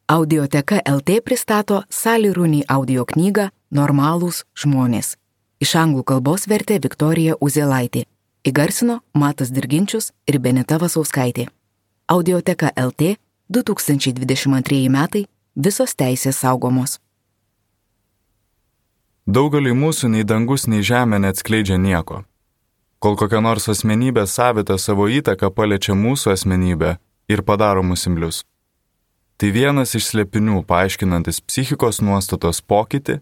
Audioteka LT pristato Sally Rooney audio knygą Normalūs žmonės. Iš anglų kalbos vertė Viktorija Uzėlaitė. Įgarsino Matas Dirginčius ir Benita Vasauskaitė. Audioteka LT 2022 metai. Visos teisės saugomos. Daugeliui mūsų nei dangus, nei žemė neatskleidžia nieko. Kol kokia nors asmenybė savita savo įtaką paliečia mūsų asmenybę ir padaro mus imlius. Tai vienas iš slėpinių paaiškinantis psichikos nuostatos pokytį,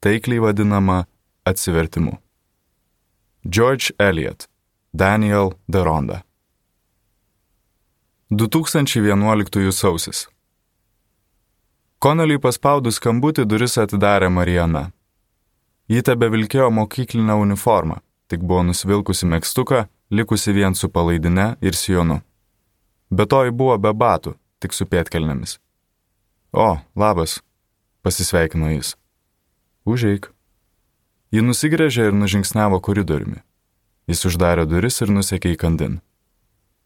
taikliai vadinama atsivertimu. George Eliot, Daniel Deronda. 2011 sausis. Connelly paspaudus skambutį duris atidarė Mariana. Ji tebevilkėjo mokyklinę uniformą, tik buvo nusivilkusi megztuką, likusi vien su palaidine ir sijonu. Be to ji buvo be batų, tik su pėdkelnėmis. O, labas, pasisveikino jis. Užeik. Ji nusigręžė ir nužingsniavo koridoriumi. Jis uždarė duris ir nusekė į kandin.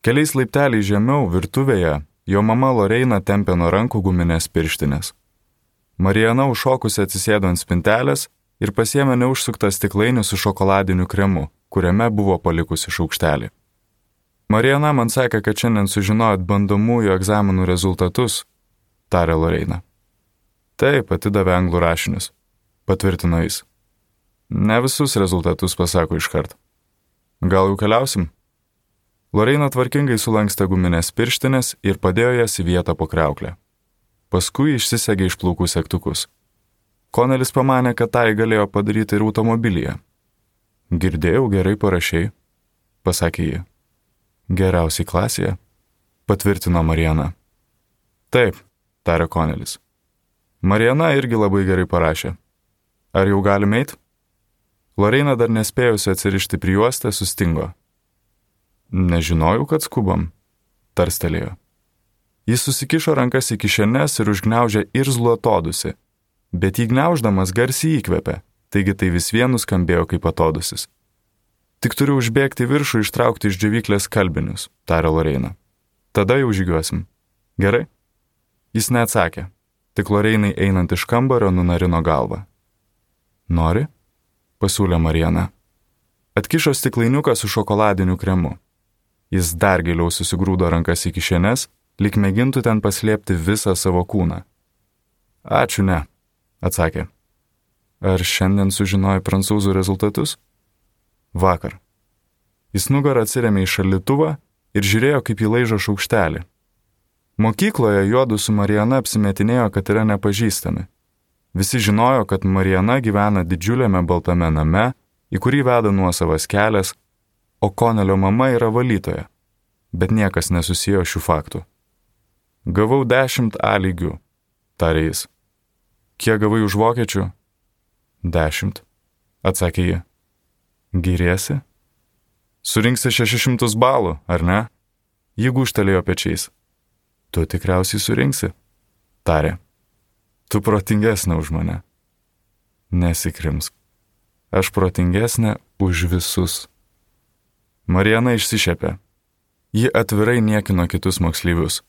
Keliais laipteliais žemiau, virtuvėje, jo mama Loreina tempė nuo rankų guminės pirštinės. Mariana užšokusi atsisėdo ant spintelės ir pasiėmė neužsuktą stiklainį su šokoladiniu kremu, kuriame buvo palikusi šaukštelį. Mariana man sakė, kad šiandien sužinojot bandomųjų egzaminų rezultatus, tarė Loreina. Taip, atidavė anglų rašinius, patvirtino jis. Ne visus rezultatus pasako iškart. Gal jau keliausim? Loreina tvarkingai sulankstė guminės pirštinės ir padėjo jas į vietą po kriauklę. Paskui išsisegė iš plaukų segtukus. Connellis pamanė, kad tai galėjo padaryti ir automobilyje. Girdėjau, gerai parašei, pasakė ji. Geriausiai klasėje, patvirtino Mariana. Taip, tarė Connellis. Mariana irgi labai gerai parašė. Ar jau galime eit? Loreina dar nespėjusi atsirišti prijuostę sustingo. Nežinojau, kad skubam, tarstelėjo. Jis susikišo rankas į kišenes ir užgniaužė irzlų atodusį, bet jį gniauždamas garsiai įkvėpė, taigi tai vis vien nuskambėjo kaip atodusis. Tik turiu užbėgti viršų ištraukti iš džiovyklės skalbinius, tarė Loreina. Tada jau žygiuosim. Gerai? Jis neatsakė, tik Loreinai einant iš kambario nunarino galvą. Nori? Pasiūlė Mariana. Atkišo stiklainiuką su šokoladiniu kremu. Jis dar giliau susigrūdo rankas į kišenes, lyg mėgintų ten paslėpti visą savo kūną. Ačiū, ne, atsakė. Ar šiandien sužinojai prancūzų rezultatus? Vakar. Jis nugarą atsirėmė į šaldytuvą ir žiūrėjo, kaip jį laižo šaukštelį. Mokykloje juodu su Mariana apsimetinėjo, kad yra nepažįstami. Visi žinojo, kad Mariana gyvena didžiuliame baltame name, į kurį veda nuosavas kelias, o Connellio mama yra valytoja, bet niekas nesusijo šių faktų. Gavau 10 A lygių, tarė jis. Kiek gavai už vokiečių? 10, atsakė ji. Giriesi? Surinksi 600 balų, ar ne? Ji gūžtelėjo pečiais. Tu tikriausiai surinksi, tarė. Tu protingesnė už mane. Nesikrimsk. Aš protingesnė už visus. Mariana išsišepė. Ji atvirai niekino kitus moksleivius.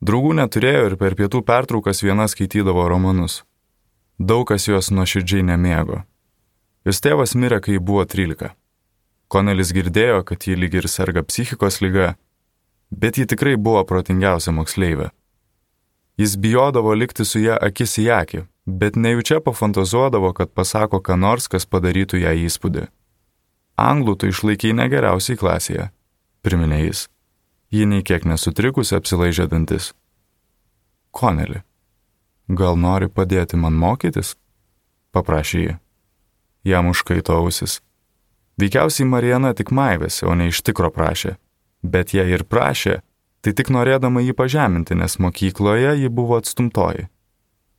Draugų neturėjo ir per pietų pertraukas viena skaitydavo romanus. Daug kas juos nuoširdžiai nemėgo. Jos tėvas mirė, kai buvo 13. Connellis girdėjo, kad ji lyg ir serga psichikos liga, bet ji tikrai buvo protingiausia moksleivė. Jis bijodavo likti su ją akis į akį, bet nejučia pafantazuodavo, kad pasako ką nors, kas padarytų ją įspūdį. Anglų tu išlaikei negeriausiai klasėje, priminė jis. Ji nei kiek nesutrikusi apsilaižė dantis. Connelly, gal nori padėti man mokytis? Paprašė ji. Jam užkaito ausis. Veikiausiai Mariana tik maivėsi, o ne iš tikro prašė. Bet jei ir prašė, tai tik norėdama jį pažeminti, nes mokykloje ji buvo atstumtoji.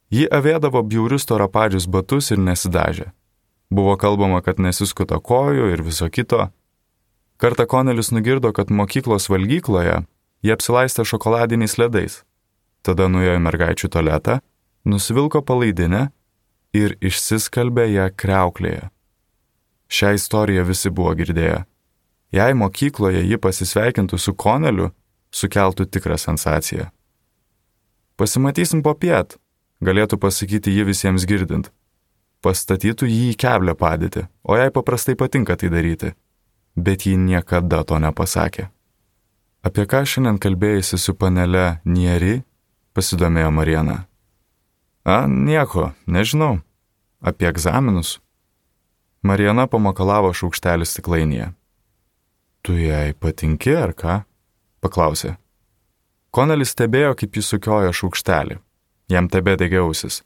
Ji avėdavo bjaurius storapadžius batus ir nesidažė. Buvo kalbama, kad nesiskuta kojų ir viso kito. Kartą Connellis nugirdo, kad mokyklos valgykloje jie apsilaistė šokoladiniais ledais. Tada nuėjo į mergaičių tualetą, nusivilko palaidinę ir išsiskalbė ją kriauklėje. Šią istoriją visi buvo girdėję. Jei mokykloje ji pasisveikintų su Connelliu, sukeltų tikrą sensaciją. Pasimatysim popiet, galėtų pasakyti ji visiems girdint. Pastatytų jį į keblią padėtį, o jai paprastai patinka tai daryti. Bet ji niekada to nepasakė. Apie ką šiandien kalbėjusi su panele Nieri, pasidomėjo Mariana. Nieko, nežinau. Apie egzaminus. Mariana pamakalavo šaukštelį stiklainyje. Tu jai patinki, ar ką? Paklausė. Konelis stebėjo, kaip jis sukiojo šaukštelį. Jam tebedegė ausis.